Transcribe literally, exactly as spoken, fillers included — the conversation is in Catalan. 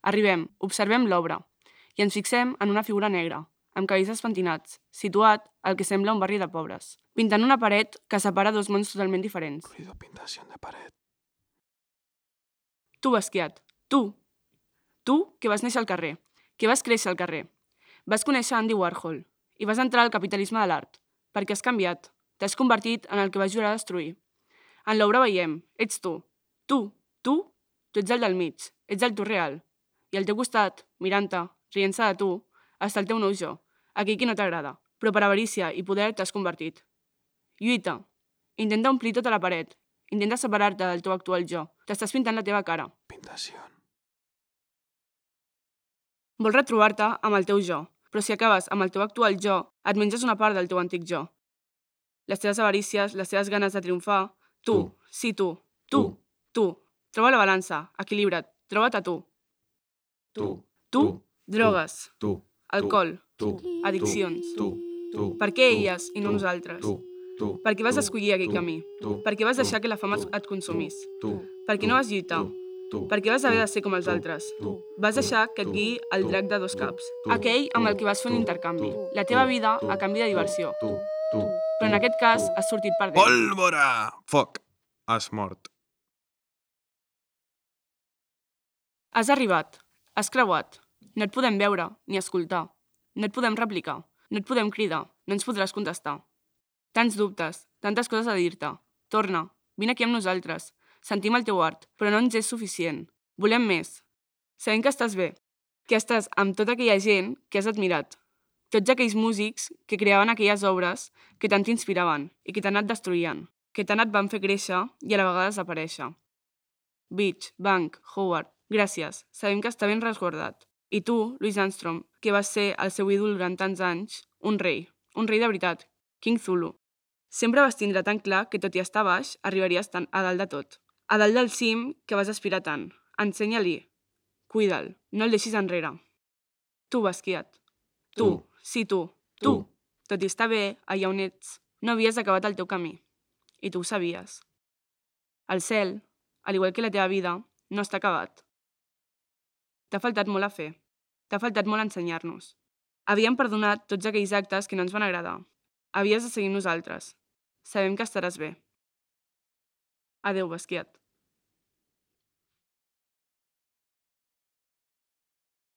Arribem, observem l'obra i ens fixem en una figura negra, amb cabells pentinats, situat al que sembla un barri de pobres, pintant una paret que separa dos mons totalment diferents. Ruido pintación de pared. Tu, Basquiat, tu. Tu, que vas néixer al carrer, que vas créixer al carrer. Vas conèixer Andy Warhol i vas entrar al capitalisme de l'art, perquè has canviat, t'has convertit en el que vas jurar destruir. En l'obra veiem, ets tu, tu, tu, tu ets el del mig, ets el tu real. I al teu costat, mirant-te, rient-se de tu, està el teu nou jo, aquell que no t'agrada, però per avarícia i poder t'has convertit. Lluita, intenta omplir tota la paret, intenta separar-te del teu actual jo, t'estàs pintant la teva cara. Pintación. Vols retrobar-te amb el teu jo, però si acabes amb el teu actual jo, et menges una part del teu antic jo. Les teves avarícies, les teves ganes de triomfar, tu, Tu. sí tu, tu, tu. Troba la balança, equilibra't, troba't a tu. Tu. Tu, drogues, Tu. alcohol, Tu. addiccions. Tu. Tu. Per què elles i no nosaltres? Tu. Tu. Per què vas escollir aquell Tu. camí? Tu. Per què vas Tu. deixar que la fama Tu. et consumís? Tu. Per què no vas lluitar? Tu. Per què vas haver de ser com els altres? Vas deixar que et guiï el drac de dos caps, aquell amb el que vas fer un intercanvi, la teva vida a canvi de diversió. Tu. Tu. Però en aquest cas has sortit perdent. Pólvora! Foc! Has mort. Has arribat, has creuat, no et podem veure ni escoltar, no et podem replicar, no et podem cridar, no ens podràs contestar. Tants dubtes, tantes coses a dir-te. Torna, vine aquí amb nosaltres. Sentim el teu art, però no ens és suficient. Volem més. Sabem que estàs bé, que estàs amb tota aquella gent que has admirat. Tots aquells músics que creaven aquelles obres que tant t'inspiraven i que tant et destruïen, que tant et van fer créixer i a la vegada desaparèixer. Beach, Bank, Howard, gràcies, sabem que està ben resguardat. I tu, Louis Armstrong, que vas ser el seu ídol durant tants anys, un rei, un rei de veritat, King Zulu. Sempre vas tindre tan clar que tot i estar baix, arribaries tan a dalt de tot. A dalt del cim que vas aspirar tant. Ensenya-li. Cuida'l, no el deixis enrere. Tu, Basquiat. Tu, sí tu, tu. Tot i estar bé, allà on ets, no havies acabat el teu camí. I tu ho sabies. El cel, al igual que la teva vida, no està acabat. T'ha faltat molt a fer. T'ha faltat molt a ensenyar-nos. Havíem perdonat tots aquells actes que no ens van agradar. Havies de seguir nosaltres. Sabem que estaràs bé. Adéu, Basquiat.